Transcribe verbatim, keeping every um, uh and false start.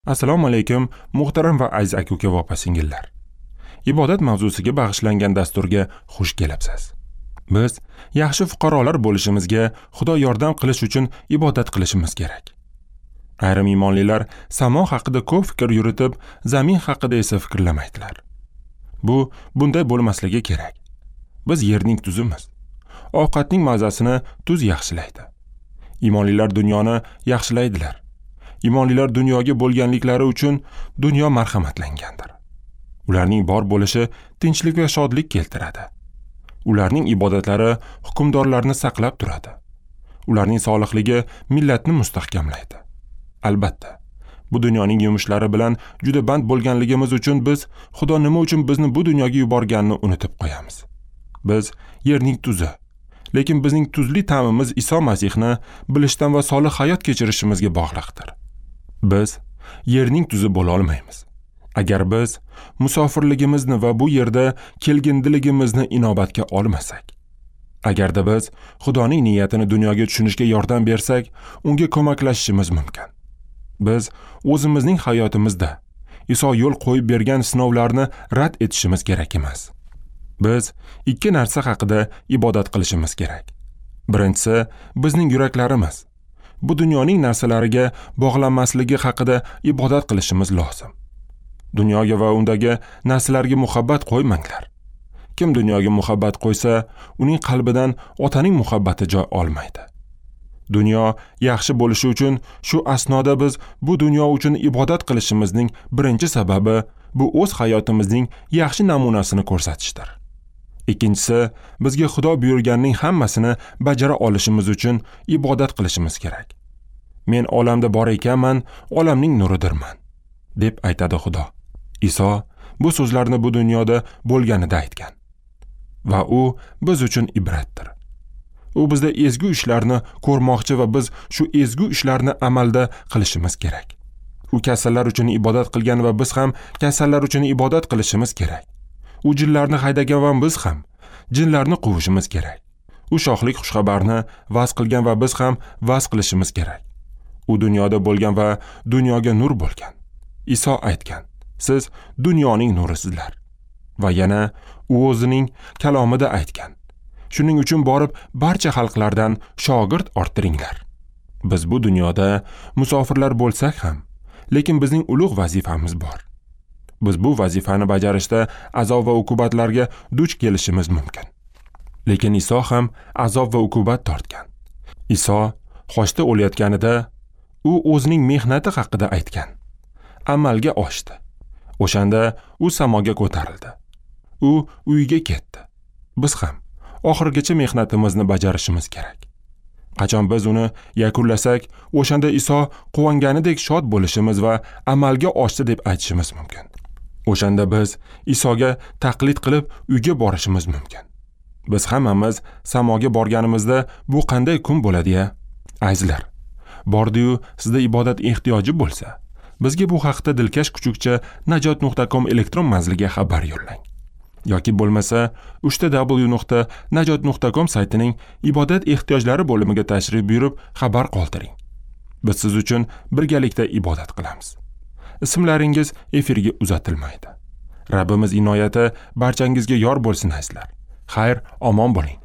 Assalomu alaykum, muhtaram va aziz aka-uka va opa-singillar. Ibodat mavzusiga bag'ishlangan dasturga xush kelibsiz. Biz yaxshi fuqarolar bo'lishimizga Xudo yordam qilish uchun ibodat qilishimiz kerak. Ayrim iymonlilar samo haqida ko'p fikr yuritib, zamin haqida esa fikrlamaydilar. Bu bunday bo'lmasligi kerak. Biz yerning tuzimiz. Ovqatning mazasini tuz yaxshilaydi. Iymonlilar dunyoni yaxshilaydilar. Iymonlilar dunyoga bo'lganliklari uchun dunyo marhamatlangandir. Ularning bor bo'lishi tinchlik va shodlik keltiradi. Ularning ibodatlari hukmdorlarni saqlab turadi. Ularning solihligi millatni mustahkamlaydi. Albatta, bu dunyoning yumushlari bilan juda band bo'lganligimiz uchun biz Xudo nima uchun bizni bu dunyoga yuborganini unutib qo'yamiz. Biz yerning tuzi, lekin bizning tuzli ta'mimiz Iso Masihni bilishdan va solih hayot kechirishimizga bog'liqdir. Biz yerning tuzi bo'la olmaymiz. Agar biz musofirligimizni va bu yerda kelgindiligimizni inobatga olmasak, agarda biz Xudoning niyatini dunyoga tushunishga yordam bersak, unga ko'maklashishimiz mumkin. Biz o'zimizning hayotimizda Iso yo'l qo'yib bergan sinovlarni rad etishimiz kerak emas. Biz ikki narsa haqida ibodat qilishimiz kerak. Birinchisi, bizning yuraklarimiz bu dunyoning narsalariga bog'lanmasligi haqida ibodat qilishimiz lozim. Dunyoga va undagi narsalarga muhabbat qo'ymanglar. Kim dunyoga muhabbat qo'ysa, uning qalbidan otaning muhabbati joy olmaydi. Dunyo yaxshi bo'lishi uchun shu asnoda biz bu dunyo uchun ibodat qilishimizning birinchi sababi bu o'z hayotimizning yaxshi namunasini ko'rsatishdir. Ikkinchisi, bizga Xudo buyurganning hammasini bajara olishimiz uchun ibodat qilishimiz kerak. Men olamda bor ekanman, olamning nuridirman, deb aytadi Xudo. Iso bu so'zlarni bu dunyoda bo'lganida aytgan. Va u biz uchun ibratdir. U bizda ezgu ishlarni ko'rmoqchi va biz shu ezgu ishlarni amalda qilishimiz kerak. U kasallar uchun ibodat qilgan va biz ham kasallar uchun ibodat qilishimiz kerak. U jinlarni haydagan va biz ham jinlarni quvishimiz kerak. U shohlik xushxabarni vaz qilgan va biz ham vaz qilishimiz kerak. U dunyoda bo'lgan va dunyoga nur bo'lgan. Iso aytgan: "Siz dunyoning nurisizlar." Va yana u o'zining kalomida aytgan: "Shuning uchun borib barcha xalqlardan shogird orttiringlar." Biz bu dunyoda musofirlar bo'lsak ham, lekin bizning ulug' vazifamiz bor. Biz bu vazifani bajarishda azob va uqubatlarga duch kelishimiz mumkin. Lekin Iso ham azob va uqubat tortgan. Iso xochda o'layotganida u o'zining mehnati haqida aytgan. Amalga oshdi. O'shanda u samoga ko'tarildi. U uyiga ketdi. Biz ham oxirgacha mehnatimizni bajarishimiz kerak. Qachon biz uni yakunlasak, o'shanda Iso quvonganidek shod bo'lishimiz va amalga oshdi deb aytishimiz mumkin. O'shanda biz Isoga taqlid qilib uyga borishimiz mumkin. Biz hammamiz samoga borganimizda bu qanday kun bo'ladi-ya? Azizlar, bordi-yu sizda ibodat ehtiyoji bo'lsa, bizga bu haqda dilkash kuchukcha najot nuqta com elektron manziliga xabar yo'llang. Yoki bo'lmasa uch ta w nuqta najot nuqta com saytining ibodat ehtiyojlari bo'limiga tashrif buyurib xabar qoldiring. Biz siz uchun birgalikda ibodat qilamiz. Ismlaringiz efirga uzatilmaydi. Rabbimiz inoyati barchangizga yor bo'lsin azizlar. Xayr, omon bo'ling.